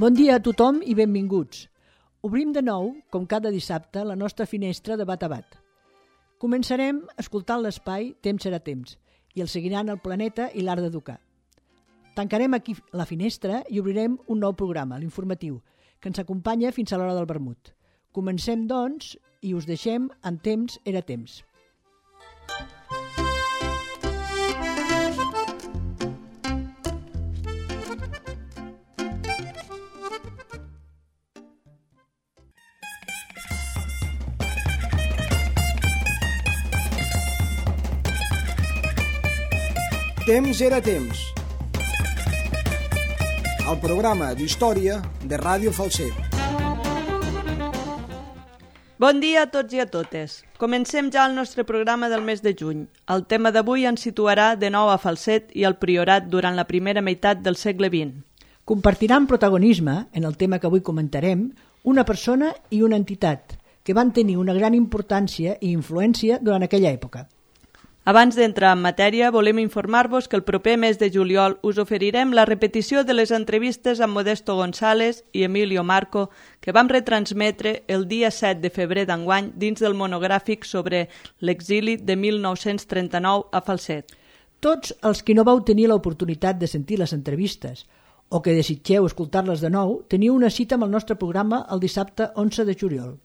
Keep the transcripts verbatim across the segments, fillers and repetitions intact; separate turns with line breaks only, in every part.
Bon dia a tothom i benvinguts. Obrim de nou, com cada dissabte, la nostra finestra de bat a bat. Començarem escoltant l'espai Temps serà temps i el seguiran el planeta i l'art d'educar. Tancarem aquí la finestra i obrirem un nou programa, l'informatiu, que ens acompanya fins a l'hora del vermut. Comencem, doncs, i us deixem en Temps era temps.
Temps era temps. El programa d'història de Ràdio Falset.
Bon dia a tots i a totes. Comencem ja el nostre programa del mes de juny. El tema d'avui ens situarà de nou a Falset i al Priorat durant la primera meitat del segle vint.
Compartiran protagonisme, en el tema que avui comentarem, una persona i una entitat que van tenir una gran importància i influència durant aquella època.
Abans d'entrar en matèria, volem informar-vos que el proper mes de juliol us oferirem la repetició de les entrevistes amb Modesto González i Emilio Marco que vam retransmetre el dia set de febrer d'enguany dins del monogràfic sobre l'exili de mil nou-cents trenta-nou a Falset.
Tots els que no vau tenir l'oportunitat de sentir les entrevistes o que desitgeu escoltar-les de nou, teniu una cita amb el nostre programa el dissabte onze de juliol.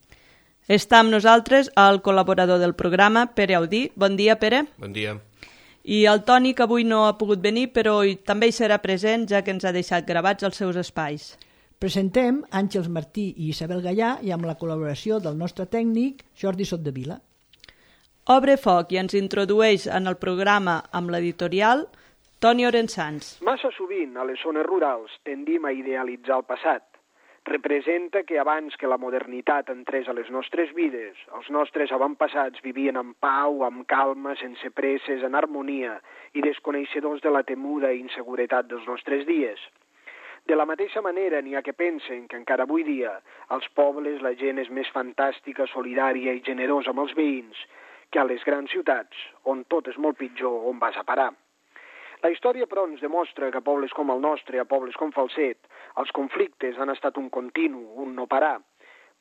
Està amb nosaltres el col·laborador del programa, Pere Audí. Bon dia, Pere.
Bon dia.
I el Toni, que avui no ha pogut venir, però també hi serà present, ja que ens ha deixat gravats els seus espais.
Presentem Àngels Martí i Isabel Gallà i amb la col·laboració del nostre tècnic, Jordi Sotdevila.
Obre foc i ens introdueix en el programa amb l'editorial Toni Orensans.
Massa sovint, a les zones rurals, tendim a idealitzar el passat. Representa que abans que la modernitat entrés a les nostres vides, els nostres avantpassats vivien en pau, amb calma, sense presses, en harmonia i desconeixedors de la temuda i inseguretat dels nostres dies. De la mateixa manera n'hi ha que pensen que encara avui dia als pobles la gent és més fantàstica, solidària i generosa amb els veïns que a les grans ciutats, on tot és molt pitjor, on vas a parar. La història, però, ens demostra que a pobles com el nostre, a pobles com Falset, els conflictes han estat un continu, un no parar,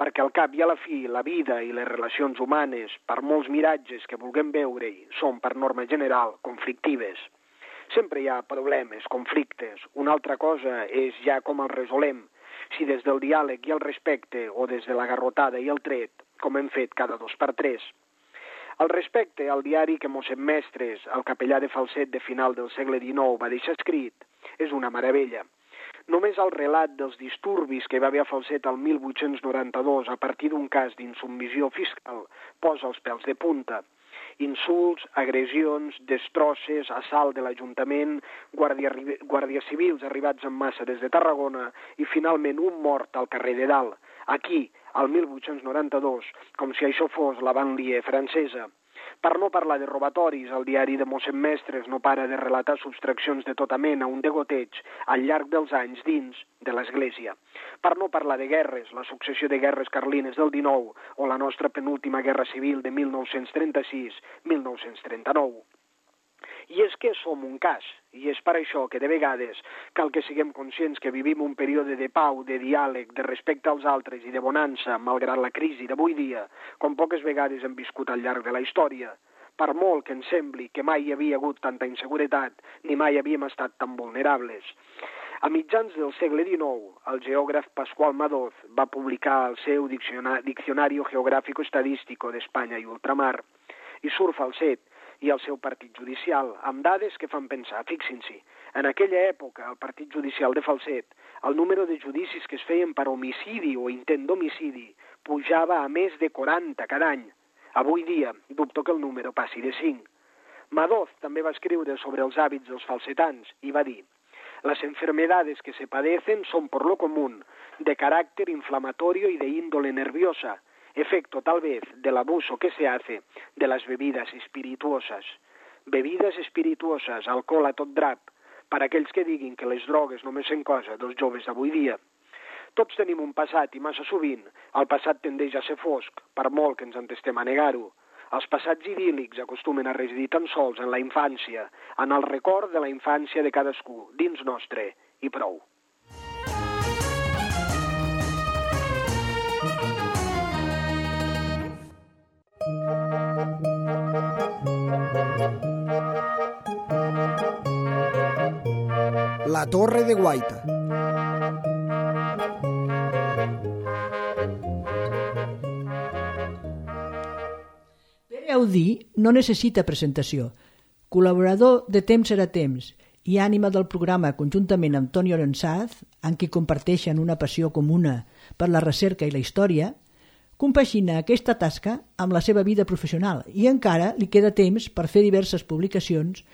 perquè al cap i a la fi la vida i les relacions humanes, per molts miratges que vulguem veure-hi, són, per norma general, conflictives. Sempre hi ha problemes, conflictes. Una altra cosa és ja com els resolem, si des del diàleg i el respecte o des de la garrotada i el tret, com hem fet cada dos per tres. Al respecte, al diari que mossèn Mestres, el capellà de Falset de final del segle dinou, va deixar escrit, és una meravella. Només el relat dels disturbis que hi va haver a Falset el mil vuit-cents noranta-dos a partir d'un cas d'insubmissió fiscal posa els pèls de punta. Insults, agressions, destrosses, assalt de l'Ajuntament, guàrdia, guàrdies civils arribats en massa des de Tarragona i finalment un mort al carrer de Dalt, aquí, al mil vuit-cents noranta-dos, com si això fos la banlieue francesa. Per no parlar de robatoris, el diari de mossèn Mestres no para de relatar subtraccions de tota mena, un degoteig, al llarg dels anys dins de l'Església. Per no parlar de guerres, la successió de guerres carlines del dinou o la nostra penúltima guerra civil de mil nou-cents trenta-sis a mil nou-cents trenta-nou. I és que som un cas, i és per això que de vegades cal que siguem conscients que vivim un període de pau, de diàleg, de respecte als altres i de bonança, malgrat la crisi d'avui dia, com poques vegades hem viscut al llarg de la història. Per molt que ens sembli que mai hi havia hagut tanta inseguretat, ni mai havíem estat tan vulnerables. A mitjans del segle dinou, el geògraf Pasqual Madoz va publicar el seu Diccionario Geográfico Estadístico d'Espanya i Ultramar, i surt Falset, i el seu partit judicial, amb dades que fan pensar. Fixin-s'hi, en aquella època, el partit judicial de Falset, el número de judicis que es feien per homicidi o intent d'homicidi pujava a més de quaranta cada any. Avui dia, dubto que el número passi de cinc. Madoz també va escriure sobre els hàbits dels falsetans i va dir: «Las enfermedades que se padecen son por lo común de carácter inflamatorio y de índole nerviosa, efecto tal vez del abuso que se hace de las bebidas espirituosas». Bebides espirituoses, alcohol a tot drap, per aquells que diguin que les drogues només són cosa dels joves d'avui dia. Tots tenim un passat i massa sovint el passat tendeix a ser fosc, per molt que ens entestem a negar-ho. Els passats idíl·lics acostumen a residir tan sols en la infància, en el record de la infància de cadascú, dins nostre, i prou.
La Torre de Guaita.
Pere Audí no necessita presentació. Col·laborador de Temps era Temps i ànima del programa conjuntament amb Toni Orensaz, amb qui comparteixen una passió comuna per la recerca i la història, compagina aquesta tasca amb la seva vida professional i encara li queda temps per fer diverses publicacions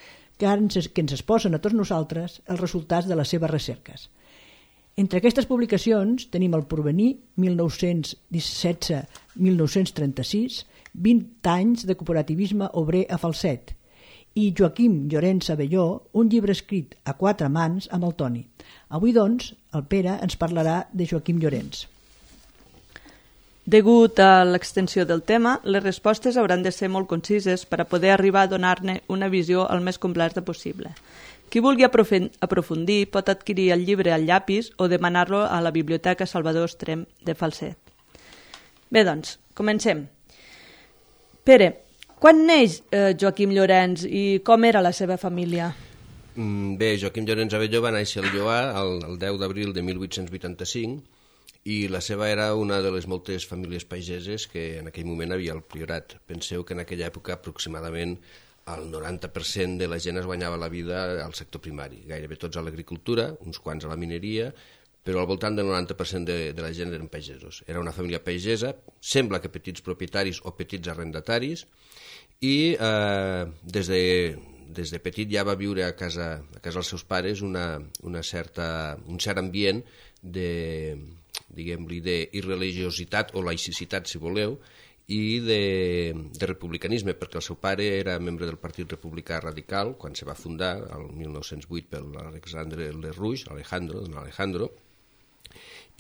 que ens, que ens exposen a tots nosaltres els resultats de les seves recerques. Entre aquestes publicacions tenim El Porvenir, mil nou-cents setze a mil nou-cents trenta-sis, vint anys de cooperativisme obrer a Falset, i Joaquim Llorens Abelló, un llibre escrit a quatre mans amb el Toni. Avui, doncs, el Pere ens parlarà de Joaquim Llorens.
Degut a l'extensió del tema, les respostes hauran de ser molt concises per a poder arribar a donar-ne una visió el més completa possible. Qui vulgui aprofundir pot adquirir el llibre al llapis o demanar-lo a la Biblioteca Salvador Estrem de Falset. Bé, doncs, comencem. Pere, quan neix eh, Joaquim Llorens i com era la seva família?
Mm, bé, Joaquim Llorens Abelló va néixer al Lloar el, el deu d'abril de mil vuit-cents vuitanta-cinc i la seva era una de les moltes famílies pageses que en aquell moment havia al Priorat. Penseu que en aquella època aproximadament el noranta per cent de la gent es guanyava la vida al sector primari, gairebé tots a l'agricultura, uns quants a la mineria, però al voltant del noranta per cent de, de la gent eren pagesos. Era una família pagesa, sembla que petits propietaris o petits arrendataris, i eh, des, de, des de petit ja va viure a casa, a casa dels seus pares una, una certa, un cert ambient de, diguem-li, d'irreligiositat o laïcitat, si voleu, i de, de republicanisme, perquè el seu pare era membre del Partit Republicà Radical quan se va fundar el mil nou-cents vuit per l'Alexandre Lerrouge, Alejandro, don Alejandro,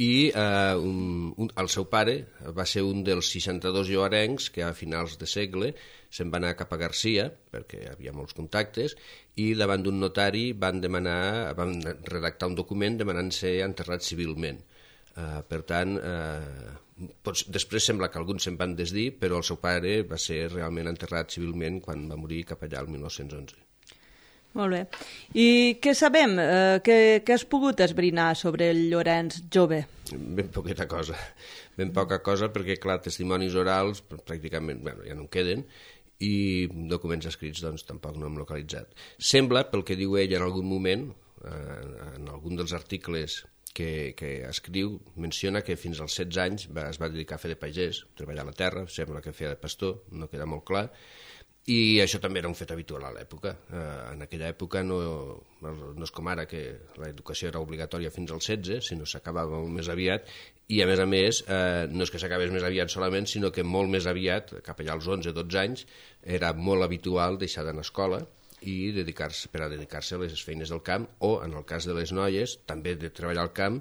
i eh, un, un, el seu pare va ser un dels seixanta-dos lloarencs que a finals de segle se'n va anar cap a Garcia, perquè hi havia molts contactes, i davant d'un notari van demanar, van redactar un document demanant ser enterrat civilment. Uh, per tant, uh, pots, després sembla que alguns se'n van desdir, però el seu pare va ser realment enterrat civilment quan va morir cap allà el mil nou-cents onze.
Molt bé. I què sabem? Eh, què, què has pogut esbrinar sobre el Llorens jove?
Ben poqueta cosa. Ben poca cosa perquè, clar, testimonis orals pràcticament bueno, ja no en queden i documents escrits doncs tampoc no hem localitzat. Sembla, pel que diu ell en algun moment, eh, en algun dels articles que, que escriu, menciona que fins als setze anys va, es va dedicar a fer de pagès, treballar a la terra, sembla que feia de pastor, no queda molt clar, i això també era un fet habitual a l'època. Eh, en aquella època no, no és com ara que l'educació era obligatòria fins als setze, sinó s'acabava molt més aviat, i a més a més eh, no és que s'acabés més aviat solament, sinó que molt més aviat, cap allà als onze o dotze anys, era molt habitual deixar d'anar a escola i dedicar-se per a dedicar-se a les feines del camp o, en el cas de les noies, també de treballar al camp,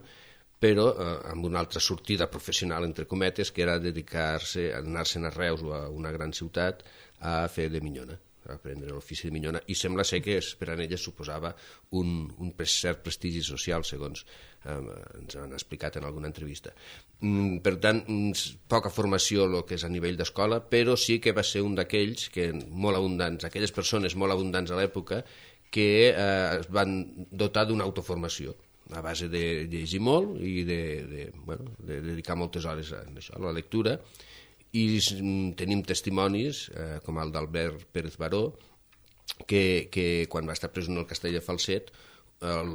però eh, amb una altra sortida professional, entre cometes, que era dedicar-se a anar-se'n a Reus o a una gran ciutat a fer de minyona, a aprendre l'ofici de minyona, i sembla ser que per a elles suposava un, un cert prestigi social, segons eh, ens han explicat en alguna entrevista. Mm, per tant, poca formació el que és a nivell d'escola, però sí que va ser un d'aquells que molt abundants, aquelles persones molt abundants a l'època, que eh, es van dotar d'una autoformació a base de llegir molt i de, de, bueno, de dedicar moltes hores a, això, a la lectura, i tenim testimonis, eh, com el d'Albert Pérez Baró, que, que quan va estar presoner al castell de Falset, el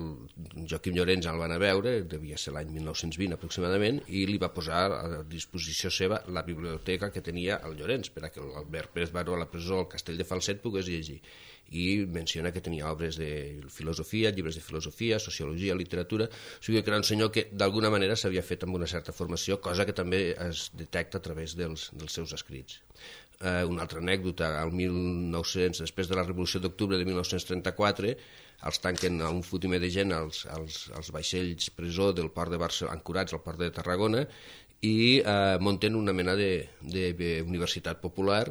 Joaquim Llorens el van a veure, devia ser l'any mil nou-cents vint aproximadament, i li va posar a disposició seva la biblioteca que tenia el Llorens, per a que l'Albert Pérez Baró a la presó al castell de Falset pogués llegir. I menciona que tenia obres de filosofia, llibres de filosofia, sociologia, literatura, o sigui que era un senyor que d'alguna manera s'havia fet amb una certa formació, cosa que també es detecta a través dels, dels seus escrits. Eh, una altra anècdota, al mil nou-cents, després de la Revolució d'Octubre de mil nou-cents trenta-quatre, els tanquen a un fotimer de gent als, als, als vaixells presó del port de Barcelona, ancorats al port de Tarragona, i eh, munten una mena de, de, de universitat popular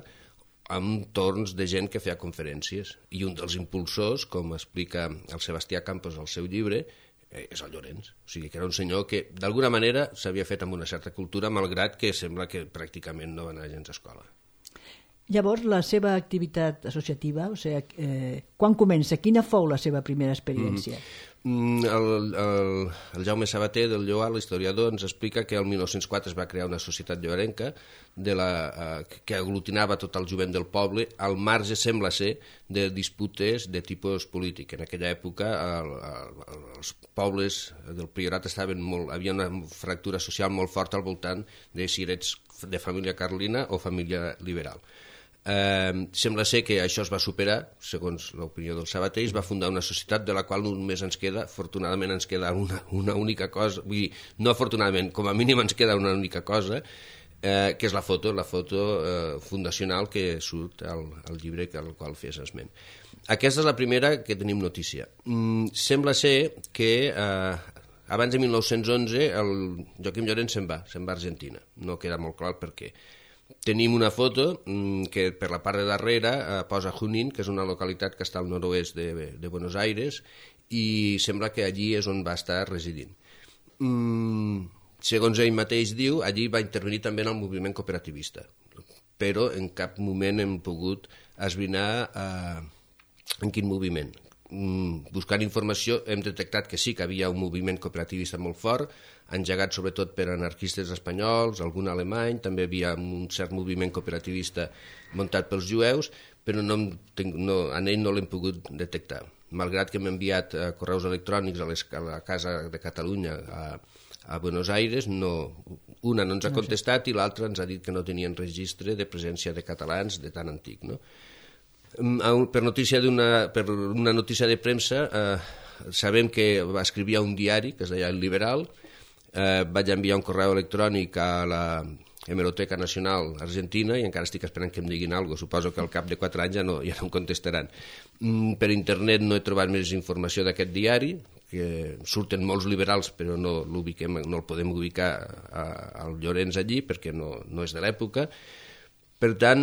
amb torns de gent que feia conferències. I un dels impulsors, com explica el Sebastià Campos al seu llibre, és el Llorens. O sigui que era un senyor que d'alguna manera s'havia fet amb una certa cultura, malgrat que sembla que pràcticament no va anar gens a escola.
Llavors, la seva activitat associativa, o sigui, eh, quan comença? Quina fou la seva primera experiència?
Mm-hmm. El, el, el Jaume Sabater del Lloar, l'historiador, ens explica que el mil nou-cents quatre es va crear una societat lloarenca de la, eh, que aglutinava tot el jovent del poble al marge, sembla ser, de disputes de tipus polític. En aquella època el, el, els pobles del Priorat estaven molt, havia una fractura social molt forta al voltant de si eres de família carlina o família liberal. Eh, sembla ser que això es va superar, segons l'opinió del Sabater, i es va fundar una societat de la qual només ens queda, afortunadament ens queda una, una única cosa, vull dir, no afortunadament, com a mínim ens queda una única cosa, eh, que és la foto, la foto eh, fundacional que surt al, al llibre al qual fes esment. Aquesta és la primera que tenim notícia. Mm, sembla ser que eh, abans de mil nou-cents onze el Joaquim Llorenç se'n va, se'n va a Argentina. No queda molt clar per què. Tenim una foto que per la part de darrere eh, posa Junín, que és una localitat que està al nord-oest de, de Buenos Aires, i sembla que allí és on va estar residint. Mm, segons ell mateix diu, allí va intervenir també en el moviment cooperativista, però en cap moment hem pogut esbrinar eh, en quin moviment. Mm, buscant informació hem detectat que sí que havia un moviment cooperativista molt fort, engegat sobretot per anarquistes espanyols, algun alemany, també havia un cert moviment cooperativista muntat pels jueus, però no, no, en ell no l'hem pogut detectar. Malgrat que hem enviat eh, correus electrònics a, les, a la Casa de Catalunya a, a Buenos Aires, no, una no ens ha contestat i l'altra ens ha dit que no tenien registre de presència de catalans de tan antic, no? Per notícia d'una per una notícia de premsa eh, sabem que va escrivir a un diari que es deia El Liberal, eh, vaig enviar un correu electrònic a la Hemeroteca Nacional Argentina i encara estic esperant que em diguin alguna cosa, suposo que al cap de quatre anys ja no, ja no em contestaran. Mm, per internet no he trobat més informació d'aquest diari, que surten molts liberals però no, l'ubiquem, no el podem ubicar a, al Llorenç allí perquè no, no és de l'època. Per tant,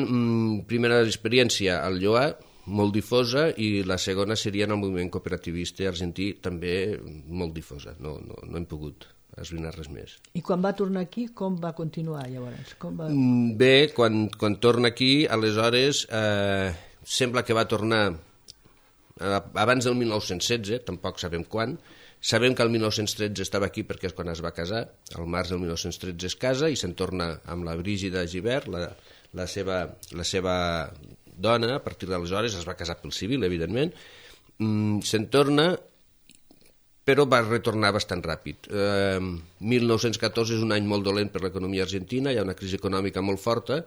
primera experiència al Lloar, molt difosa, i la segona seria en el moviment cooperativista argentí, també molt difosa. No, no, no hem pogut esbrinar res més.
I quan va tornar aquí, com va continuar llavors? Com va...
Bé, quan, quan torna aquí, aleshores, eh, sembla que va tornar eh, abans del mil nou-cents setze, tampoc sabem quan. Sabem que el mil nou-cents tretze estava aquí perquè és quan es va casar, al març del mil nou-cents tretze es casa i se'n torna amb la Brígida Gibert, la, la, seva, la seva dona. A partir d'aleshores es va casar pel civil, evidentment. Mm, se'n torna, però va retornar bastant ràpid. Eh, mil nou-cents catorze és un any molt dolent per l'economia argentina, hi ha una crisi econòmica molt forta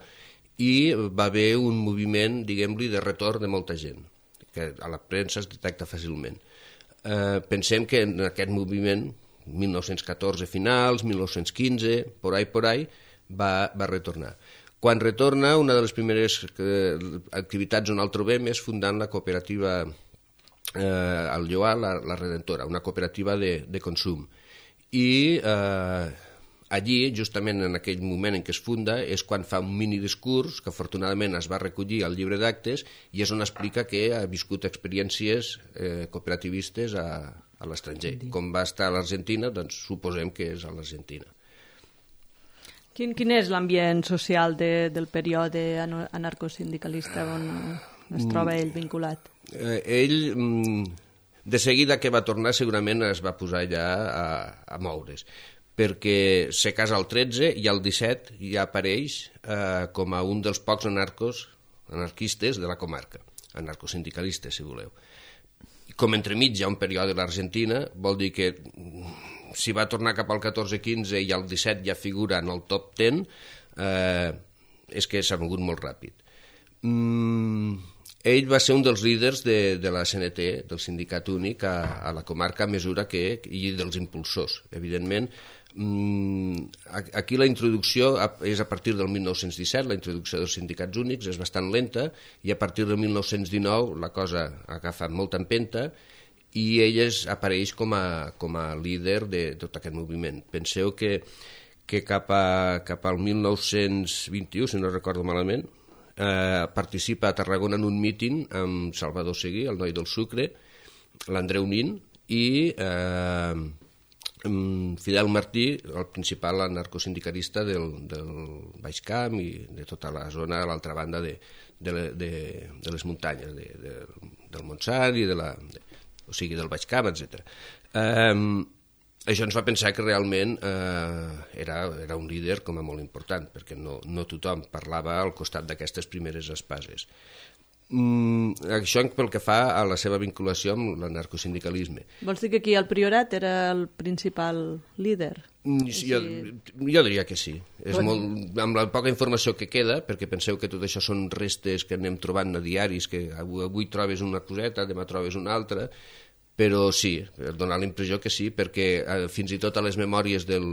i va haver un moviment, diguem-li, de retorn de molta gent, que a la premsa es detecta fàcilment. Eh, pensem que en aquest moviment, mil nou-cents catorze finals, mil nou-cents quinze, por ahí, por ahí, va, va retornar. Quan retorna, una de les primeres eh, activitats on el trobem és fundant la cooperativa eh, al Lloar, la, la Redentora, una cooperativa de, de consum. I eh, allí, justament en aquell moment en què es funda, és quan fa un mini discurs, que afortunadament es va recollir al llibre d'actes, i és on explica que ha viscut experiències eh, cooperativistes a, a l'estranger. Com va estar a l'Argentina, doncs suposem que és a l'Argentina.
Quin, quin és l'ambient social de, del període anarcosindicalista on es troba ell vinculat?
Eh, ell, de seguida que va tornar, segurament es va posar ja a, a moure's, perquè se casa al tretze i al disset ja apareix eh, com a un dels pocs anarcos, anarquistes de la comarca, anarcosindicalistes, si voleu. Com entremig hi ha un període a l'Argentina, vol dir que si va tornar cap al catorze quinze i al disset ja figura en el top deu, eh, és que s'ha mogut molt ràpid. Mm, ell va ser un dels líders de, de la C N T, del Sindicat Únic, a, a la comarca a mesura que, i dels impulsors, evidentment. Mm, aquí la introducció és a partir del mil nou-cents disset, la introducció dels sindicats únics és bastant lenta, i a partir del mil nou-cents dinou la cosa ha agafat molta empenta i ell es, apareix com a, com a líder de tot aquest moviment. Penseu que, que cap, a, cap al mil nou-cents vint-i-u, si no recordo malament, eh, participa a Tarragona en un míting amb Salvador Seguí, el noi del sucre, l'Andreu Nin i eh, Fidel Martí, el principal anarcosindicalista del, del Baix Camp i de tota la zona a l'altra banda de, de, de, de les muntanyes, de, de, del Montsant i de la... De, o sigui, del Baix Camp, etcètera. Um, això ens va pensar que realment eh, era, era un líder com a molt important, perquè no, no tothom parlava al costat d'aquestes primeres espases. Mm, això pel que fa a la seva vinculació amb l'anarcosindicalisme.
Vols dir que aquí el Priorat era el principal líder?
Mm, jo, jo diria que sí. És molt, amb la poca informació que queda, perquè penseu que tot això són restes que anem trobant a diaris, que avui, avui trobes una coseta, demà trobes una altra, però sí, donar la impressió que sí, perquè eh, fins i tot a les memòries del,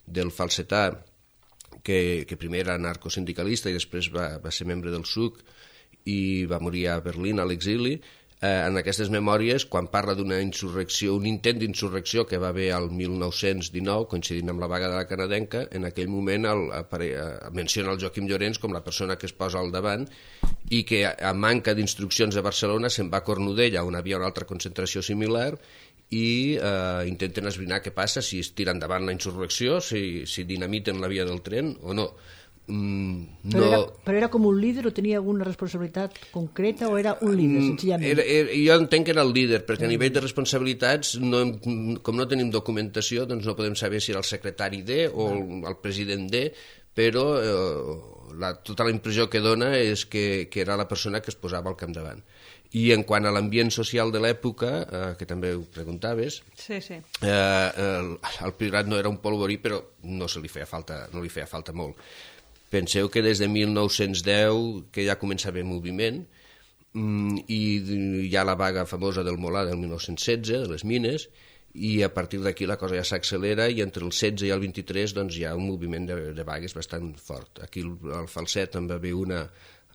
del falsetà, que, que primer era anarcosindicalista i després va, va ser membre del S U C, i va morir a Berlín, a l'exili, eh, en aquestes memòries, quan parla d'una insurrecció, un intent d'insurrecció que va haver al mil nou-cents dinou, coincidint amb la vaga de la canadenca, en aquell moment el, apare, eh, menciona el Joaquim Llorens com la persona que es posa al davant i que, a manca d'instruccions de Barcelona, se'n va a Cornudella, on havia una altra concentració similar, i eh, intenten esbrinar què passa, si es tira endavant la insurrecció, si, si dinamiten la via del tren o no. Mm, no...
Però, era, però era com un líder o tenia alguna responsabilitat concreta o era un líder, senzillament?
Era, era, jo entenc que era el líder, perquè a nivell de responsabilitats, no, com no tenim documentació, doncs no podem saber si era el secretari D o el, el president D, però eh, la, tota la impressió que dona és que, que era la persona que es posava al capdavant. I en quant a l'ambient social de l'època, eh, que també ho preguntaves,
sí, sí.
Eh, el, el Priorat no era un polvorí, però no, se li feia falta, no li feia falta molt. Penseu que des de mil nou-cents deu que ja comença a haver moviment mm, i hi ha la vaga famosa del Molà del mil nou-cents setze, de les mines, i a partir d'aquí la cosa ja s'accelera i entre el setze i el vint-i-tres doncs, hi ha un moviment de, de vagues bastant fort. Aquí el, el Falset en va haver una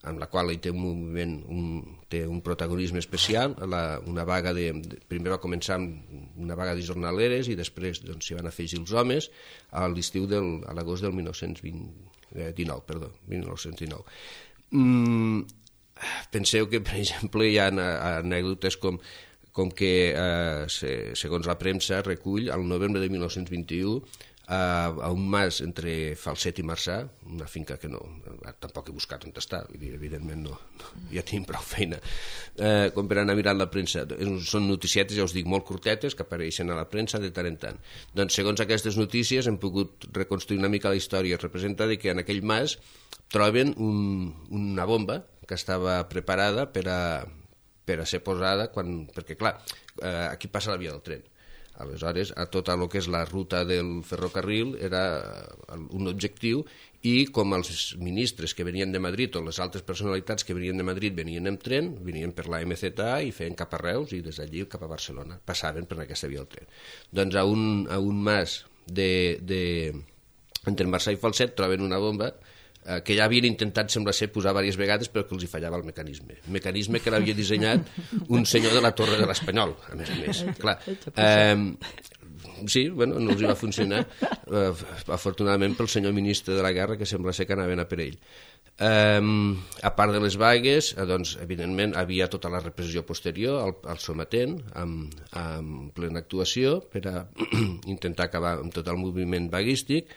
amb la qual ell té un moviment, un, té un protagonisme especial, la, una vaga de, de, primer va començar amb una vaga de jornaleres i després doncs, s'hi van afegir els homes a l'estiu del, a l'agost del mil nou-cents dinou, perdó, mil nou-cents dinou. Mm, penseu que, per exemple, hi ha anècdotes com, com que, eh, segons la premsa, recull, al novembre de mil nou-cents vint-i-u, a, a un mas entre Falset i Marçà, una finca que no, tampoc he buscat on està, evidentment no, no ja tenim prou feina, eh, com per anar mirant la premsa. Són noticietes, ja us dic, molt curtetes, que apareixen a la premsa de tant en tant. Doncs segons aquestes notícies hem pogut reconstruir una mica la història. Representa que en aquell mas troben un, una bomba que estava preparada per a, per a ser posada, quan, perquè clar, eh, aquí passa la via del tren. Aleshores, a tota el que és la ruta del ferrocarril era un objectiu i com els ministres que venien de Madrid o les altres personalitats que venien de Madrid venien en tren, venien per la M Z A i feien cap a Reus i des d'allí cap a Barcelona. Passaven per aquesta via del tren. Doncs a un, a un mas de, de, entre Marçà i Falset troben una bomba que ja havien intentat, sembla ser, posar diverses vegades però que els hi fallava el mecanisme. El mecanisme que l'havia dissenyat un senyor de la Torre de l'Espanyol, a més a més. Clar, eh, sí, bueno, no els hi va funcionar, eh, afortunadament pel senyor ministre de la Guerra, que sembla ser que anaven a per ell. Eh, a part de les vagues, eh, doncs, evidentment, havia tota la repressió posterior al, al sometent, amb, amb plena actuació, per a intentar acabar amb tot el moviment vaguístic.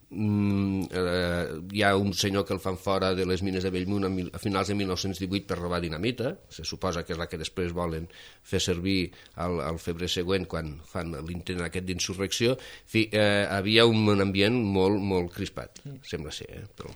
Mm, eh, hi ha un senyor que el fan fora de les mines de Bellmunt a, mil, a finals de mil nou-cents divuit per robar dinamita, se suposa que és la que després volen fer servir al, al febrer següent quan fan l'intent aquest d'insurrecció. En fi, eh, havia un ambient molt, molt crispat, sembla ser, eh? Però...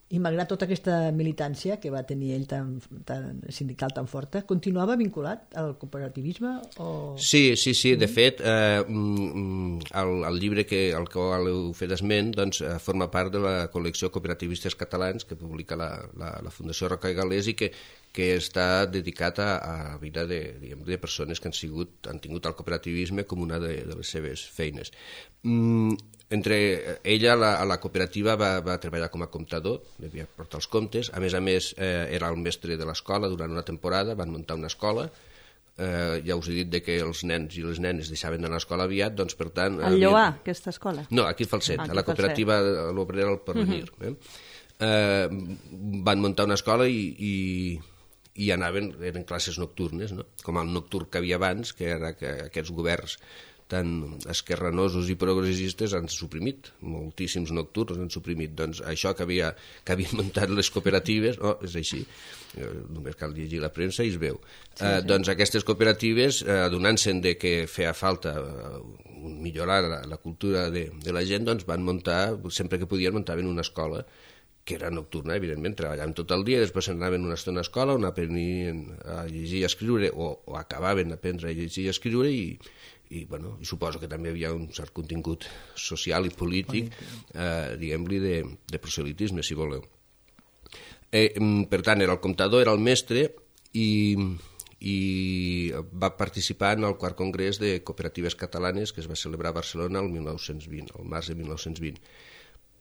I malgrat tota aquesta militància que va tenir ell tan, tan sindical tan forta, continuava vinculat al cooperativisme? O...
Sí, sí, sí. De fet, eh, el, el llibre que, al qual heu fet esment doncs, forma part de la col·lecció Cooperativistes Catalans que publica la, la, la Fundació Roca i Galés i que, que està dedicat a, a la vida de, diguem, de persones que han, sigut, han tingut el cooperativisme com una de, de les seves feines. Mm, Entre ella, la, a la cooperativa, va, va treballar com a comptador, devia portar els comptes, a més a més eh, era el mestre de l'escola durant una temporada, van muntar una escola, eh, ja us he dit de que els nens i les nenes deixaven d'anar a l'escola aviat, doncs per tant...
El Lloà, havien... aquesta escola?
No, aquí a Falset, ah, a la cooperativa a l'Obrera al Porvenir. Uh -huh. eh? Eh, van muntar una escola i... i i anaven, eren classes nocturnes, no? Com el nocturn que havia abans, que era que aquests governs tan esquerranosos i progressistes han suprimit, moltíssims nocturns han suprimit. Doncs això que, havia, que havien muntat les cooperatives, oh, és així, només cal llegir la premsa i es veu. Sí, sí. Eh, doncs aquestes cooperatives, eh, donant-se'n de que feia falta eh, millorar la, la cultura de, de la gent, doncs van muntar, sempre que podien muntaven una escola, que era nocturna, evidentment, treballaven tot el dia, després anaven una estona a escola on aprenien a llegir i a escriure, o, o acabaven d'aprendre a llegir i a escriure, i, i, bueno, i suposo que també hi havia un cert contingut social i polític, eh, diguem-li, de, de proselitisme, si voleu. Eh, per tant, era el comptador, era el mestre, i, i va participar en el quart congrés de cooperatives catalanes que es va celebrar a Barcelona el mil nou-cents vint, el març de mil nou-cents vint.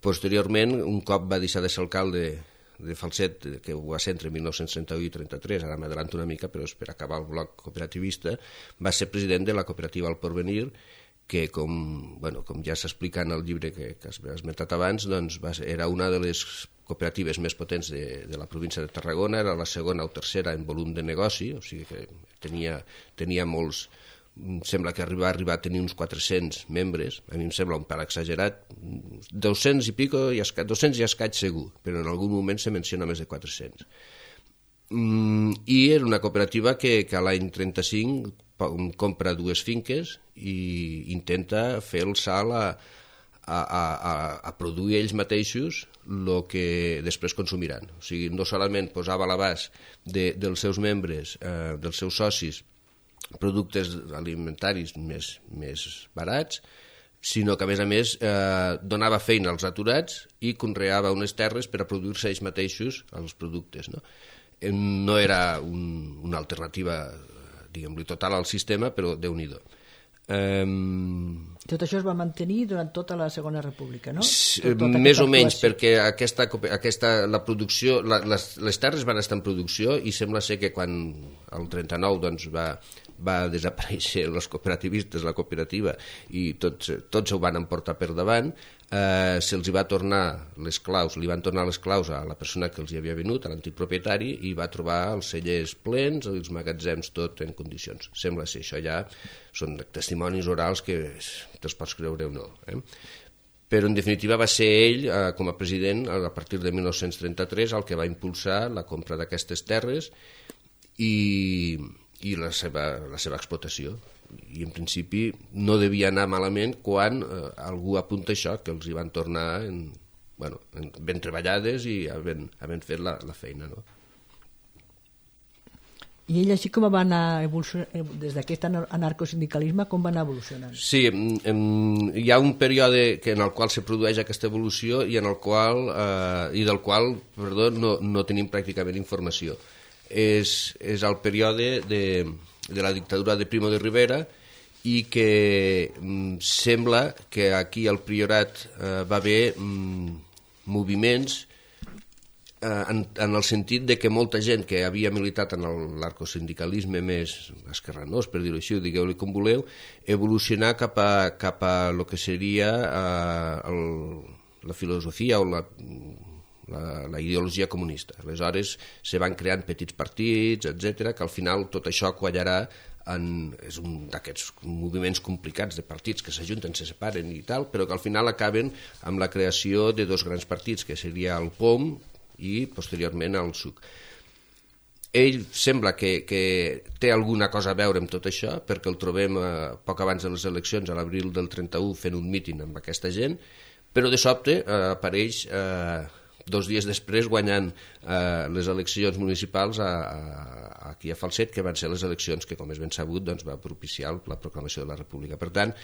Posteriorment, un cop va deixar de ser alcalde de Falset, que ho va ser entre mil nou-cents trenta-u i trenta-tres, ara m'adelanto una mica, però és per acabar el bloc cooperativista, va ser president de la cooperativa El Porvenir, que, com, bueno, com ja s'explica en el llibre que, que has esmentat abans, doncs va ser, era una de les cooperatives més potents de, de la província de Tarragona, era la segona o tercera en volum de negoci, o sigui que tenia, tenia molts... Sembla que va arribar a tenir uns quatre-cents membres, a mi em sembla un pèl exagerat, dos-cents i pico, i escaig, dos-cents i escaig segur, però en algun moment se menciona més de quatre-cents. Mm, I era una cooperativa que, que a l'any trenta-cinc compra dues finques i intenta fer el salt a, a, a, a produir ells mateixos el que després consumiran. O sigui, no solament posava a l'abast de, dels seus membres, eh, dels seus socis, productes alimentaris més, més barats, sinó que a més a més eh, donava feina als aturats i conreava unes terres per a produir-se ells mateixos els productes. No, no era un, una alternativa, diguem-li, total al sistema, però Déu-n'hi-do. Um...
Tot això es va mantenir durant tota la Segona República, no?
Tot, tota més o menys, perquè aquesta, aquesta, la producció, la, les, les terres van estar en producció i sembla ser que quan el trenta-nou doncs, va, va desaparèixer els cooperativistes, la cooperativa, i tots, tots ho van emportar per davant, eh, se'ls va tornar les claus, li van tornar les claus a la persona que els hi havia venut, a l'antic propietari, i va trobar els cellers plens, els magatzems tot en condicions. Sembla ser, això ja són testimonis orals que te'ls pots creure o no. Eh? Però en definitiva va ser ell, eh, com a president, a partir de mil nou-cents trenta-tres, el que va impulsar la compra d'aquestes terres i, i la, seva, la seva explotació. I en principi no devia anar malament quan eh, algú apunta això, que els hi van tornar en, bueno, en, ben treballades i havent, havent fet la, la feina, no?
I ell així com va anar evolucionant, des d'aquest anarcosindicalisme, com va anar evolucionant?
Sí, en, hi ha un període que en el qual se produeix aquesta evolució i en el qual, eh, i del qual, perdó, no, no tenim pràcticament informació. És, és el període de, de la dictadura de Primo de Rivera i que mm, sembla que aquí al Priorat eh, va haver mm, moviments En, en el sentit de que molta gent que havia militat en l'arcosindicalisme més esquerranós, per dir-ho així, digueu-li com voleu, evolucionar cap a, cap a lo que seria eh, el, la filosofia o la, la, la ideologia comunista. Aleshores se van creant petits partits, etcètera, que al final tot això quallarà en, és un d'aquests moviments complicats de partits que s'ajunten, se separen i tal, però que al final acaben amb la creació de dos grans partits, que seria el P O M i posteriorment al S U C. Ell sembla que, que té alguna cosa a veure amb tot això, perquè el trobem eh, poc abans de les eleccions, a l'abril del trenta-u, fent un míting amb aquesta gent, però de sobte eh, apareix eh, dos dies després guanyant eh, les eleccions municipals a, a, aquí a Falset, que van ser les eleccions que, com és ben sabut, doncs, va propiciar la proclamació de la República. Per tant,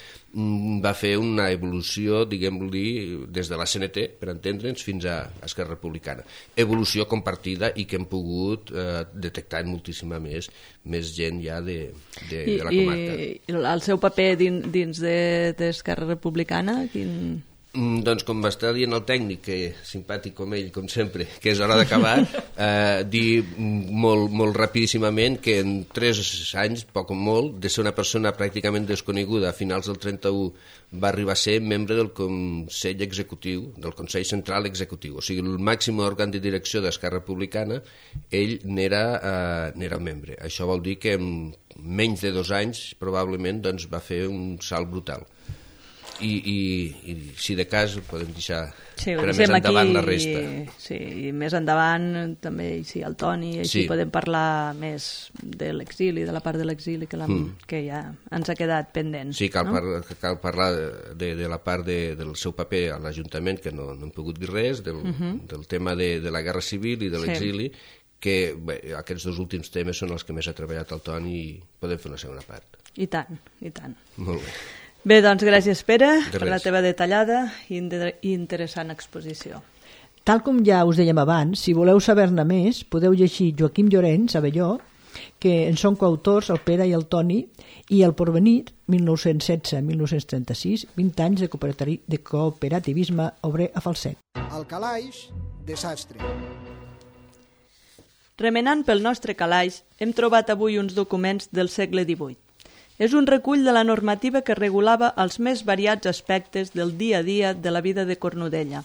va fer una evolució, diguem-li, des de la C N T, per entendre'ns, fins a Esquerra Republicana. Evolució compartida i que hem pogut eh, detectar en moltíssima més, més gent ja de, de,
I,
de la comarca.
I el seu paper dins, dins d'Esquerra de, Republicana, quin...
Mm, doncs com m'està dient el tècnic, que simpàtic com ell, com sempre, que és hora d'acabar, eh, dir molt, molt rapidíssimament que en tres anys, poc o molt, de ser una persona pràcticament desconeguda, a finals del trenta-u va arribar a ser membre del Consell Executiu, del Consell Central Executiu, o sigui, el màxim òrgan de direcció d'Esquerra Republicana, ell n'era eh, n'era membre. Això vol dir que en menys de dos anys, probablement, doncs, va fer un salt brutal. I, i, i si de cas podem deixar
sí,
per a més endavant
aquí,
la resta.
Sí, i més endavant també sí, el Toni, així sí. Podem parlar més de l'exili, de la part de l'exili que, mm. que ja ens ha quedat pendent.
Sí, cal,
no?
par cal parlar de, de la part de, del seu paper a l'Ajuntament, que no, no hem pogut dir res, del, uh -huh. del tema de, de la guerra civil i de l'exili, sí. que bé, aquests dos últims temes són els que més ha treballat el Toni i podem fer una segona part.
I tant, i tant.
Molt bé.
Bé, doncs gràcies, Pere,
de
per la teva detallada i interessant exposició.
Tal com ja us dèiem abans, si voleu saber-ne més, podeu llegir Joaquim Llorenç, Abelló, que en són coautors el Pere i el Toni, i El Porvenir, mil nou-cents setze a mil nou-cents trenta-sis, vint anys de, de cooperativisme obrer a Falset.
Al calaix, desastre.
Remenant pel nostre calaix, hem trobat avui uns documents del segle divuit. És un recull de la normativa que regulava els més variats aspectes del dia a dia de la vida de Cornudella.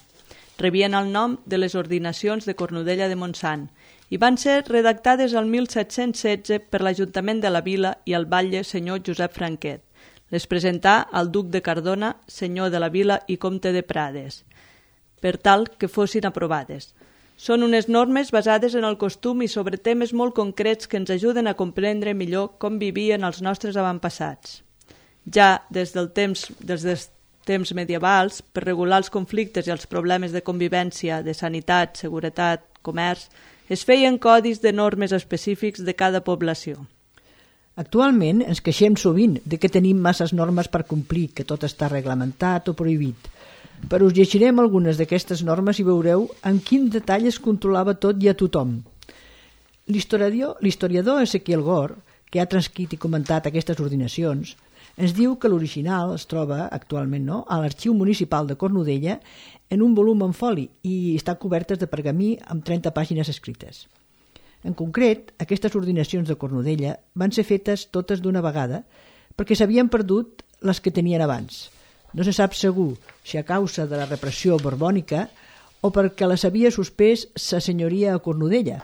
Rebien el nom de les ordinacions de Cornudella de Montsant i van ser redactades el mil set-cents setze per l'Ajuntament de la Vila i el batlle senyor Josep Franquet. Les presentà al duc de Cardona, senyor de la Vila i comte de Prades, per tal que fossin aprovades. Són unes normes basades en el costum i sobre temes molt concrets que ens ajuden a comprendre millor com vivien els nostres avantpassats. Ja des del temps, des dels temps medievals, per regular els conflictes i els problemes de convivència, de sanitat, seguretat, comerç, es feien codis de normes específics de cada població.
Actualment ens queixem sovint de que tenim masses normes per complir, que tot està reglamentat o prohibit. Però us llegirem algunes d'aquestes normes i veureu en quin detall es controlava tot i a tothom. L'historiador Ezequiel Gor, que ha transcrit i comentat aquestes ordinacions, ens diu que l'original es troba actualment no, a l'Arxiu Municipal de Cornudella en un volum en foli i està cobertes de pergamí amb trenta pàgines escrites. En concret, aquestes ordinacions de Cornudella van ser fetes totes d'una vegada perquè s'havien perdut les que tenien abans. No se sap segur si a causa de la repressió borbònica o perquè les havia suspès sa senyoria a Cornudella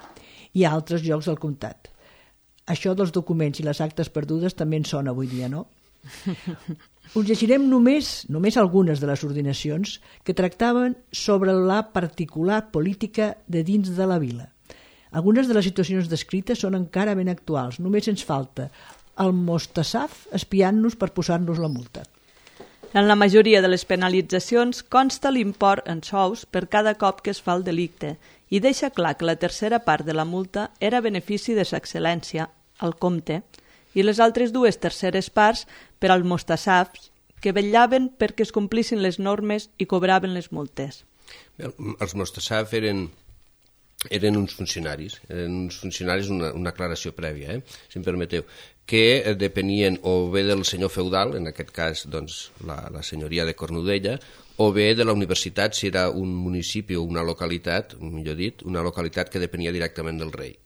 i a altres llocs del comtat. Això dels documents i les actes perdudes també en sona avui dia, no? Us llegirem només, només algunes de les ordinacions que tractaven sobre la particular política de dins de la vila. Algunes de les situacions descrites són encara ben actuals. Només ens falta el Mostassaf espiant-nos per posar-nos la multa.
En la majoria de les penalitzacions consta l'import en sous per cada cop que es fa el delicte i deixa clar que la tercera part de la multa era benefici de sa excel·lència, el comte, i les altres dues terceres parts per als mostassafs que vetllaven perquè es complissin les normes i cobraven les multes.
Els mostassafs eren, eren uns funcionaris, eren uns funcionaris, una, una aclaració prèvia, eh? si em permeteu, que depenien o bé del senyor feudal, en aquest cas doncs, la, la senyoria de Cornudella, o bé de la universitat, si era un municipi o una localitat, millor dit, una localitat que depenia directament del rei.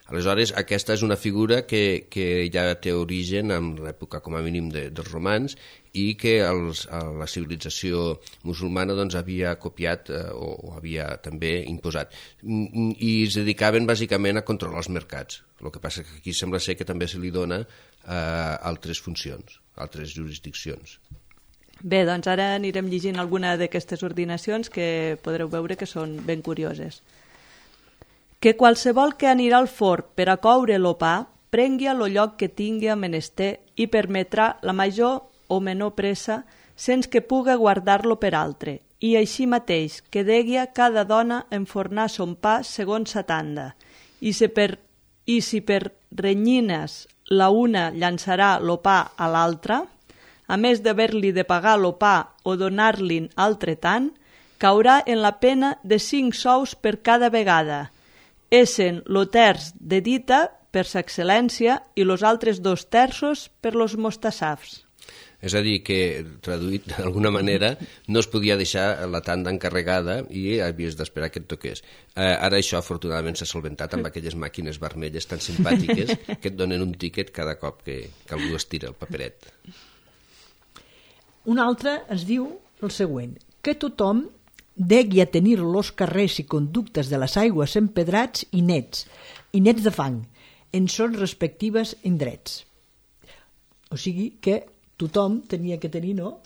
Aleshores, aquesta és una figura que, que ja té origen en l'època, com a mínim, de, dels romans i que els, la civilització musulmana doncs, havia copiat eh, o, o havia també imposat. I es dedicaven bàsicament a controlar els mercats. El que passa que aquí sembla ser que també se li dona eh, altres funcions, altres jurisdiccions.
Bé, doncs ara anirem llegint alguna d'aquestes ordinacions que podreu veure que són ben curioses. Que qualsevol que anirà al forn per a coure lo pa prengui a lo lloc que tingui a menester i permetrà la major o menor pressa sense que puga guardar-lo per altre, i així mateix que degui a cada dona enfornar son pa segons sa tanda, i si per, i si per renyines la una llançarà lo pa a l'altra, a més d'haver-li de pagar lo pa o donar-li'n altre tant, caurà en la pena de cinc sous per cada vegada, essen lo terç de dita per sa excel·lència i los altres dos terços per los mostassafs.
És a dir, que, traduït d'alguna manera, no es podia deixar la tanda encarregada i havies d'esperar que et toqués. Eh, ara això, afortunadament, s'ha solventat amb aquelles màquines vermelles tan simpàtiques que et donen un tíquet cada cop que, que algú estira el paperet.
Un altre ens diu el següent, que tothom degui a tenir los carrers i conductes de les aigües empedrats i nets, i nets de fang, en són respectives indrets. O sigui que tothom tenia que tenir, no?,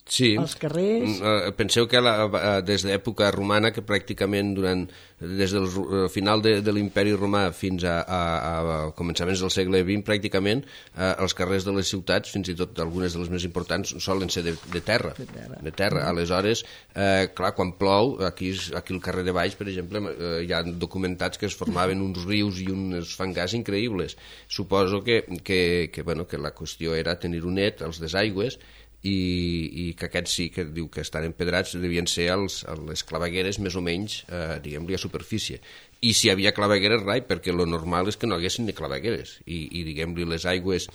sí.
els carrers...
Penseu que la, des d'època romana, que pràcticament durant, des del final de, de l'imperi romà fins a, a, a començaments del segle vint, pràcticament eh, els carrers de les ciutats, fins i tot algunes de les més importants, solen ser de, de terra. De terra. De terra. Aleshores, eh, clar, quan plou, aquí, aquí al carrer de baix, per exemple, eh, hi ha documentats que es formaven uns rius i uns fangars increïbles. Suposo que, que, que, bueno, que la qüestió era tenir un net, els desaigües, i, i que aquests sí que diu que estan empedrats devien ser els, les clavegueres més o menys, eh, diguem-li, a superfície. I si hi havia clavegueres, rai, perquè lo normal és que no hi haguessin ni clavegueres. I, i diguem-li, les aigües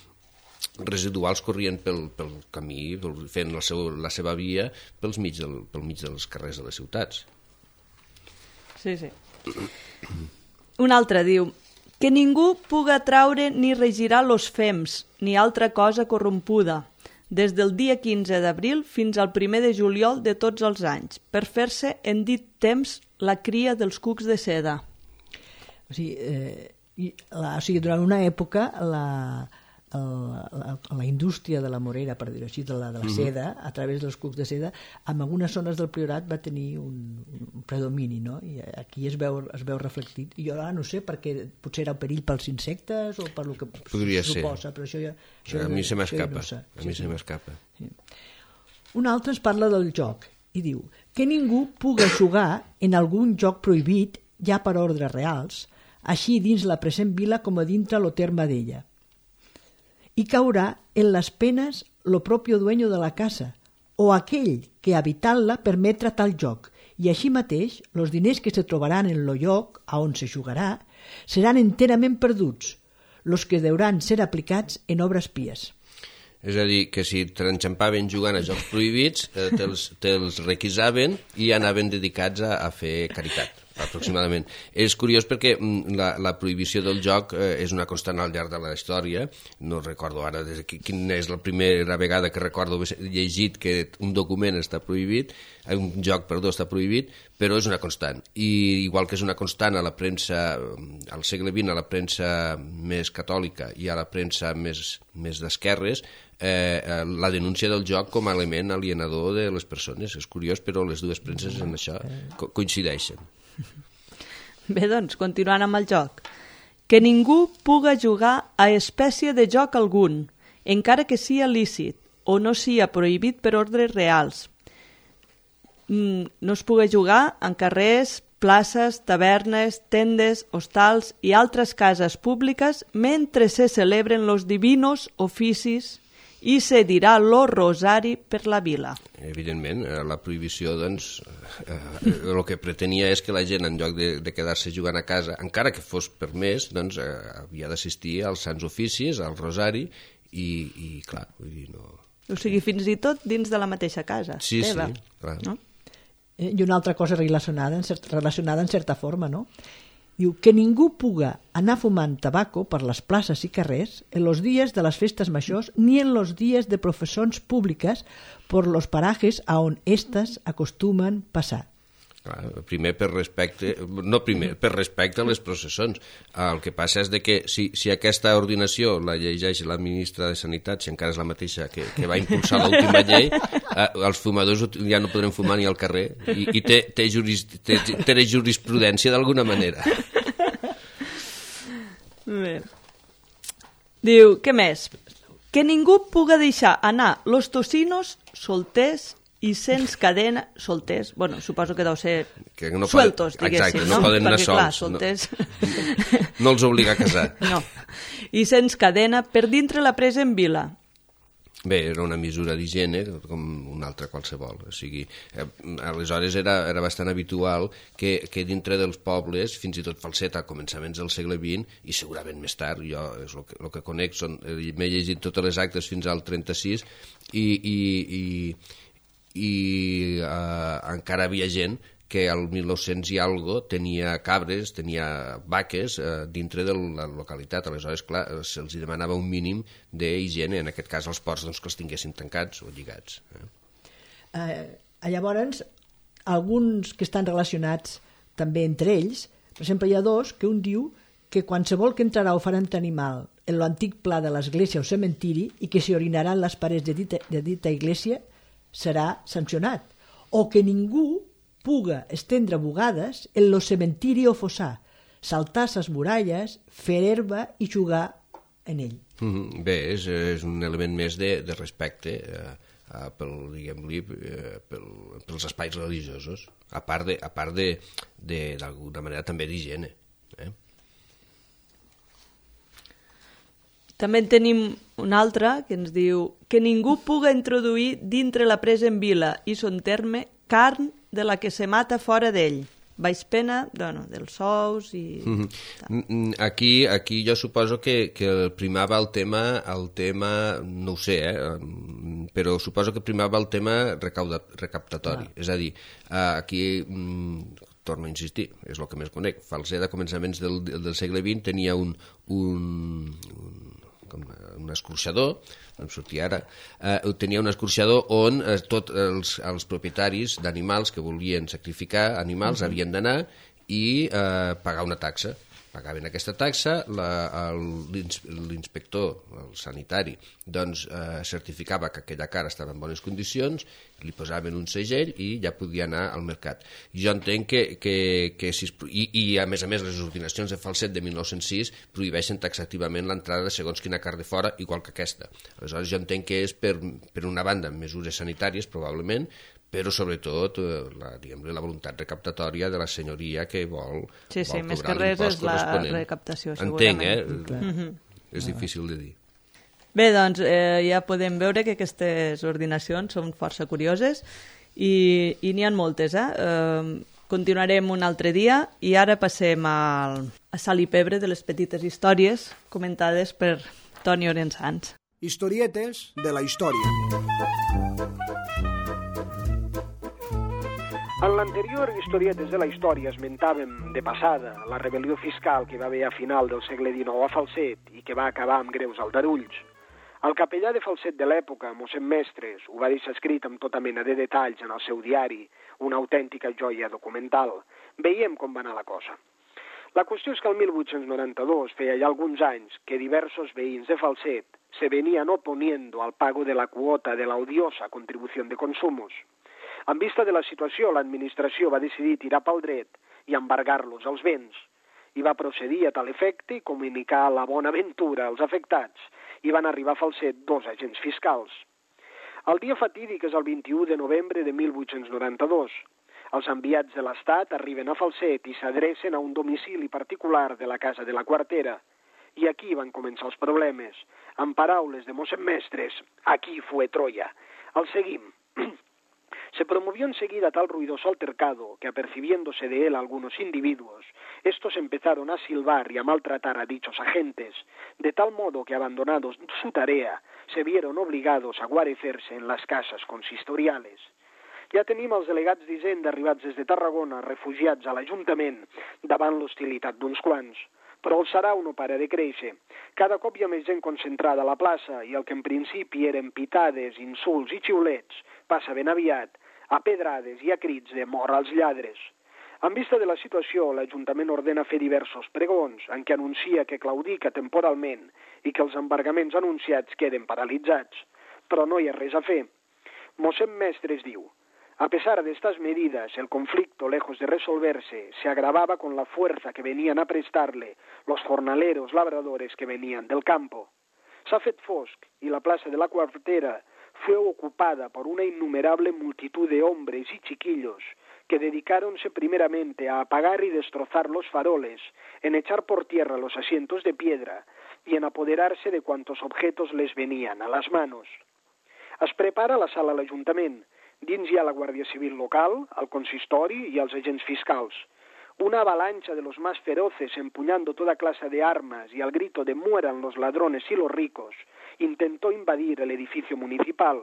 residuals corrien pel, pel camí, fent el seu, la seva via pels mig del, pel mig dels carrers de les ciutats.
Sí, sí. Un altre diu que ningú puga traure ni regirar los fems, ni altra cosa corrompuda, des del dia quinze d'abril fins al primer de juliol de tots els anys, per fer-se en dit temps la cria dels cucs de seda.
O sigui, eh, la, o sigui durant una època la, la, la indústria de la morera, per dir-ho així, de la, de la seda, a través dels cucs de seda, en algunes zones del Priorat va tenir un, un predomini, no? I aquí es veu, es veu reflectit. I jo ara no sé, perquè potser era un perill pels insectes o per lo que
podria
suposa,
ser.
Però això ja, això
a mi se m'escapa.
No sé.
A mi se m'escapa.
Sí. Un altre ens parla del joc i diu que ningú puga jugar en algun joc prohibit ja per ordres reals, així dins la present vila com a dintre lo terme d'ella. I caurà en les penes lo propio dueño de la casa o aquell que habitant-la permetre tal joc, i així mateix los diners que se trobaran en lo lloc a on se jugarà seran enterament perduts, los que deuran ser aplicats en obres pies.
És a dir, que si t'enxampaven jugant a jocs prohibits, eh, te'ls, te'ls requisaven i anaven dedicats a, a fer caritat, aproximadament. És curiós perquè la, la prohibició del joc eh, és una constant al llarg de la història. No recordo ara des de quina és la primera vegada que recordo haver llegit que un document està prohibit, un joc, perdó, està prohibit, però és una constant. I igual que és una constant a la premsa, al segle vint, a la premsa més catòlica i a la premsa més, més d'esquerres, eh, la denúncia del joc com a element alienador de les persones. És curiós, però les dues premses en això co- coincideixen.
Bé, doncs, continuant amb el joc. Que ningú puga jugar a espècie de joc algun, encara que sia lícit o no sia prohibit per ordres reals. No es puga jugar en carrers, places, tavernes, tendes, hostals i altres cases públiques mentre se celebren los divinos oficis i se dirà lo rosari per la vila.
Evidentment, la prohibició, doncs, eh, el que pretenia és que la gent, en lloc de, de quedar-se jugant a casa, encara que fos per més, doncs, eh, havia d'assistir als sants oficis, al rosari, i, i clar, vull dir, no...
O sigui, fins i tot dins de la mateixa casa.
Sí,
teva,
sí, clar.
No?
I una altra cosa relacionada en, cert, relacionada en certa forma, no? Diu que ningú puga anar fumant tabaco per les places i carrers en los días de las festas majors ni en los días de professions públiques por los parajes a on estas acostumen passar.
Clar, primer per respecte, no primer, per respecte a les processons. El que passa és de que si, si aquesta ordinació la llegeix la ministra de Sanitat, si encara és la mateixa que, que va impulsar l'última llei, eh, els fumadors ja no podrem fumar ni al carrer i, i té, té, juris, té, té jurisprudència d'alguna manera.
Bé. Diu, què més? Que ningú puga deixar anar los tocinos solters i sense cadena, solters, bueno, suposo que deu ser
que no
sueltos,
poden,
diguéssim,
exacte,
no?
no poden anar
Perquè, clar,
sols.
solters...
No, no els obliga a casar.
No. I sense cadena per dintre la presa en vila.
Bé, era una mesura d'higiene com una altra qualsevol. O sigui, eh, aleshores era, era bastant habitual que, que dintre dels pobles, fins i tot Falset a començaments del segle vint, i segurament més tard, jo és el que, el que conec, són, m'he llegit totes les actes fins al trenta-sis, i, i, i, i eh, encara havia gent que al mil nou-cents i algo tenia cabres, tenia vaques eh, dintre de la localitat. Aleshores, clar, se'ls demanava un mínim d'higiene, en aquest cas els ports doncs, que els tinguessin tancats o lligats. Eh?
Eh, llavors, alguns que estan relacionats també entre ells, per exemple, hi ha dos que un diu que qualsevol que entrarà o farà un animal en l'antic pla de l'església o cementiri i que s'hi orinarà en les parets de dita, de dita església serà sancionat. O que ningú puga estendre bugades en lo cementiri o fossar, saltar ses muralles, fer herba i jugar en ell.
Mm-hmm. Bé, és, és un element més de, de respecte eh, eh, pel, diguem-li, eh, pel, pels espais religiosos, a part de, a part de, de d'alguna manera també d'higiene. Eh?
També en tenim un altre que ens diu que ningú puga introduir dintre la presa en vila i son terme carn de la que se mata fora d'ell. Baix pena, bueno, dels sous i...
Mm-hmm. Aquí, aquí jo suposo que, que primava el tema, el tema, no ho sé, eh, però suposo que primava el tema recauda, recaptatori. Ah. És a dir, aquí, mm, torno a insistir, és el que més conec, Falset a començaments del, del segle vint tenia un, un, un com un escorxador, em sortia ara, eh, tenia un escorxador on eh, tots els, els propietaris d'animals que volien sacrificar animals uh-huh. havien d'anar i eh, pagar una taxa. Pagaven aquesta taxa, la, l'inspector, el sanitari, doncs eh, certificava que aquella cara estava en bones condicions, li posaven un segell i ja podia anar al mercat. Jo entenc que... que, que si es, i, I a més a més les ordinacions de Falset de mil nou-cents sis prohibeixen taxativament l'entrada de segons quina carn de fora, igual que aquesta. Aleshores jo entenc que és per, per una banda mesures sanitàries probablement, però sobretot la, diguem-ne, la voluntat recaptatòria de la senyoria que vol,
sí, sí,
vol
més
cobrar
que res és la
recaptació,
segurament.
Entenc, eh?
Mm-hmm.
És difícil de dir.
Bé, doncs eh, ja podem veure que aquestes ordinacions són força curioses i, i n'hi ha moltes. Eh? Eh, continuarem un altre dia i ara passem al, a sal i pebre de les petites històries comentades per Toni Orensans.
Historietes de la història.
En l'anterior Historietes de la història esmentàvem de passada la rebel·lió fiscal que va haver a final del segle dinou a Falset i que va acabar amb greus aldarulls. El capellà de Falset de l'època, mossèn Mestres, ho va deixar escrit amb tota mena de detalls en el seu diari, una autèntica joia documental. Veiem com va anar la cosa. La qüestió és que el mil vuit-cents noranta-dos, feia ja alguns anys, que diversos veïns de Falset se venían oponiendo al pago de la cuota de la odiosa contribución de consumos. En vista de la situació, l'administració va decidir tirar pel dret i embargar-los els béns i va procedir a tal efecte i comunicar la bona ventura als afectats i van arribar a Falset dos agents fiscals. El dia fatídic és el vint-i-u de novembre de mil vuit-cents noranta-dos. Els enviats de l'Estat arriben a Falset i s'adrecen a un domicili particular de la casa de la Quartera. I aquí van començar els problemes. En paraules de mossèn Mestres, aquí fue Troya. El seguim. Se promovió enseguida tal ruidoso altercado que, apercibiéndose de él algunos individuos, estos empezaron a silbar y a maltratar a dichos agentes, de tal modo que, abandonados su tarea, se vieron obligados a guarecerse en las casas consistoriales. Ja tenim els delegats d'Hisenda arribats des de Tarragona, refugiats a l'Ajuntament, davant l'hostilitat d'uns quants. Però el sarau no para de créixer. Cada cop hi ha més gent concentrada a la plaça i el que en principi eren pitades, insults i xiulets passa ben aviat a pedrades i a crits de mort als lladres. En vista de la situació, l'Ajuntament ordena fer diversos pregons en què anuncia que claudica temporalment i que els embargaments anunciats queden paralitzats. Però no hi ha res a fer. Mossèn Mestres diu: a pesar de estas medidas, el conflicto, lejos de resolverse, se agravaba con la fuerza que venían a prestarle los jornaleros labradores que venían del campo. S'ha fet fosc y la plaza de la Quartera fue ocupada por una innumerable multitud de hombres y chiquillos que dedicáronse primeramente a apagar y destrozar los faroles, en echar por tierra los asientos de piedra y en apoderarse de cuantos objetos les venían a las manos. Es prepara la sala a l'Ajuntament. Dins hi ha la Guàrdia Civil local, el consistori i els agents fiscals. Una avalancha de los más feroces empuñando toda clase de armas y al grito de mueran los ladrones y los ricos intentó invadir el edificio municipal,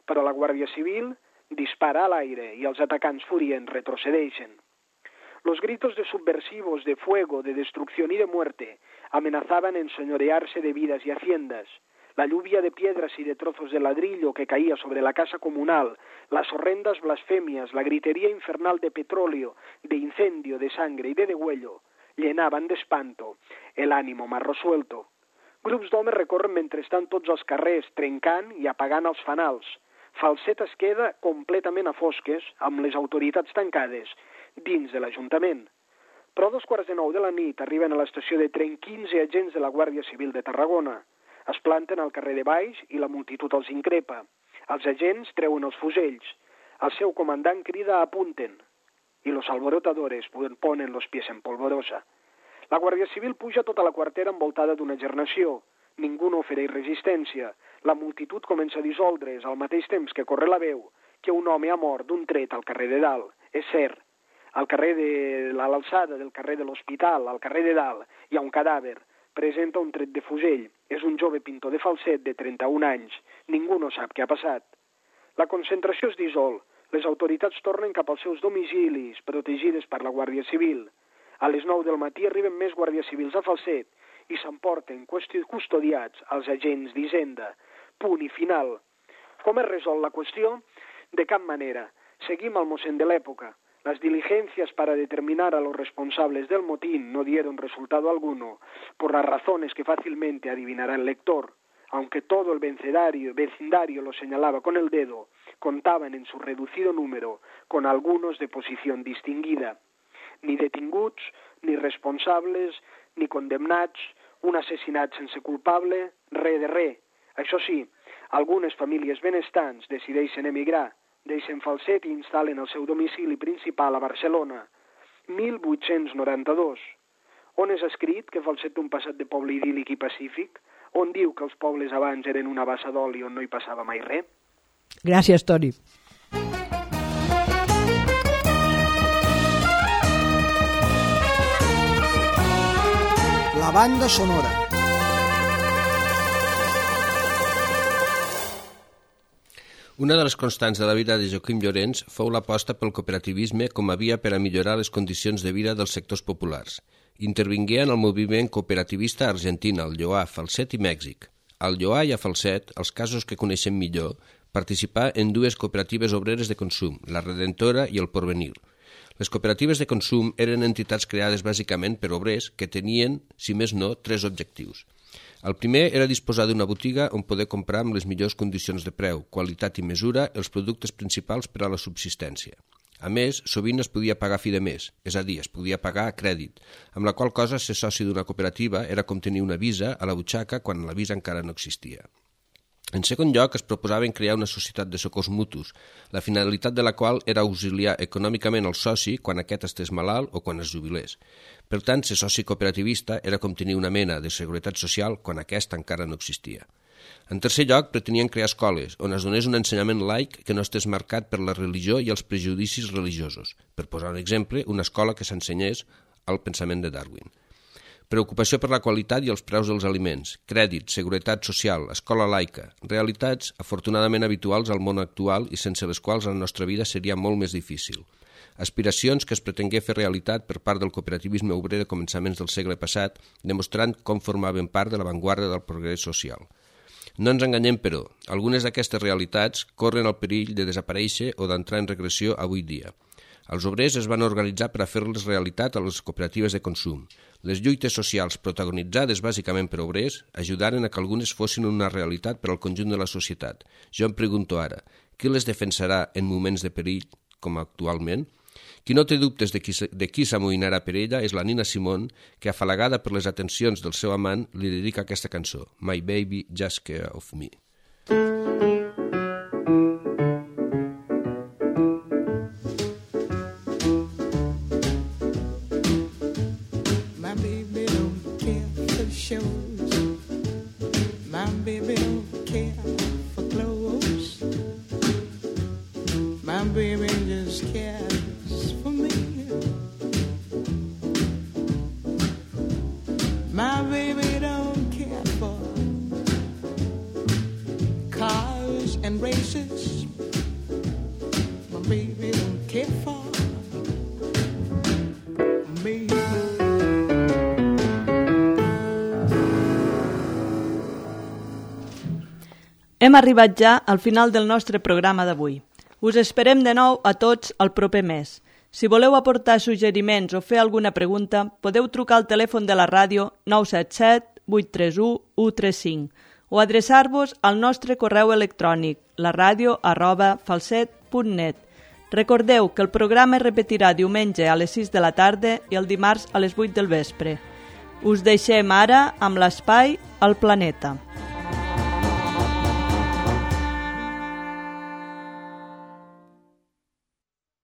però la Guàrdia Civil dispara al aire y els atacants furients retrocedeixen. Los gritos de subversivos, de fuego, de destrucción y de muerte amenazaban enseñorearse de vidas y haciendas. La lluvia de piedras y de trozos de ladrillo que caía sobre la casa comunal, las horrendas blasfemias, la gritería infernal de petróleo, de incendio, de sangre y de degüello, llenaban d'espanto el ánimo más resuelto. Grups d'homes recorren mentrestant tots els carrers, trencant i apagant els fanals. Falset es queda completament a fosques, amb les autoritats tancades, dins de l'Ajuntament. Però a dos quarts de nou de la nit arriben a l'estació de tren quinze agents de la Guàrdia Civil de Tarragona. Es planten al carrer de baix i la multitud els increpa. Els agents treuen els fusells. El seu comandant crida apunten. I los alborotadores ponen los pies en polvorosa. La Guàrdia Civil puja tota la quartera envoltada d'una gernació. Ningú no ofereix resistència. La multitud comença a dissoldre's al mateix temps que corre la veu que un home ha mort d'un tret al carrer de dalt. És cert. Al carrer de l'alçada del carrer de l'Hospital, al carrer de dalt, hi ha un cadàver. Presenta un tret de fusell. És un jove pintor de falset de trenta-un anys. Ningú no sap què ha passat. La concentració es dissol. Les autoritats tornen cap als seus domicilis, protegides per la Guàrdia Civil. A les nou del matí arriben més guàrdies civils a Falset i s'emporten custodiats als agents d'Hisenda. Punt i final. Com es resol la qüestió? De cap manera. Seguim al mossèn de l'època. Las diligencias para determinar a los responsables del motín no dieron resultado alguno, por las razones que fácilmente adivinará el lector. Aunque todo el vecindario, vecindario lo señalaba con el dedo, contaban en su reducido número con algunos de posición distinguida. Ni detinguts, ni responsables, ni condemnats, un assassinat sense culpable, re de re. Això sí, algunes famílies benestants decideixen emigrar, deixen Falset i instal·len el seu domicili principal a Barcelona. mil vuit-cents noranta-dos. On és escrit que Falset té un passat de poble idíl·lic i pacífic? On diu que els pobles abans eren una bassa d'oli on no hi passava mai res?
Gràcies, Toni.
La banda sonora.
Una de les constants de la vida de Joaquim Llorens fou l'aposta pel cooperativisme com a via per a millorar les condicions de vida dels sectors populars. Intervingué en el moviment cooperativista a Argentina, al Lloar, Falset i Mèxic. Al Lloar i a Falset, els casos que coneixem millor, participà en dues cooperatives obreres de consum, la Redentora i el Porvenir. Les cooperatives de consum eren entitats creades bàsicament per obrers que tenien, si més no, tres objectius. El primer era disposar d'una botiga on poder comprar amb les millors condicions de preu, qualitat i mesura els productes principals per a la subsistència. A més, sovint es podia pagar a fi de mes, és a dir, es podia pagar a crèdit, amb la qual cosa ser soci d'una cooperativa era com tenir una visa a la butxaca quan la visa encara no existia. En segon lloc, es proposaven crear una societat de socors mutus, la finalitat de la qual era auxiliar econòmicament el soci quan aquest estés malalt o quan es jubilés. Per tant, ser soci cooperativista era com tenir una mena de seguretat social quan aquesta encara no existia. En tercer lloc, pretenien crear escoles, on es donés un ensenyament laic que no estés marcat per la religió i els prejudicis religiosos. Per posar un exemple, una escola que s'ensenyés al pensament de Darwin. Preocupació per la qualitat i els preus dels aliments, crèdit, seguretat social, escola laica, realitats afortunadament habituals al món actual i sense les quals la nostra vida seria molt més difícil. Aspiracions que es pretengué fer realitat per part del cooperativisme obrer de començaments del segle passat, demostrant com formaven part de l'avantguarda del progrés social. No ens enganyem, però, algunes d'aquestes realitats corren el perill de desaparèixer o d'entrar en regressió avui dia. Els obrers es van organitzar per a fer-les realitat a les cooperatives de consum. Les lluites socials protagonitzades bàsicament per obrers ajudaren a que algunes fossin una realitat per al conjunt de la societat. Jo em pregunto ara, qui les defensarà en moments de perill com actualment? Qui no té dubtes de qui, de qui s'amoïnarà per ella és la Nina Simone, que, afalagada per les atencions del seu amant, li dedica aquesta cançó, My Baby Just Care of Me.
My baby don't care for shows. My baby don't care for clothes. My baby don't care for cars and races. My baby don't care for me.
Hem arribat ja al final del nostre programa d'avui. Us esperem de nou a tots el proper mes. Si voleu aportar suggeriments o fer alguna pregunta, podeu trucar al telèfon de la ràdio nou set set, vuit tres u, u tres cinc o adreçar-vos al nostre correu electrònic laradio arroba falset punt net. Recordeu que el programa es repetirà diumenge a les sis de la tarda i el dimarts a les vuit del vespre. Us deixem ara amb l'espai al planeta.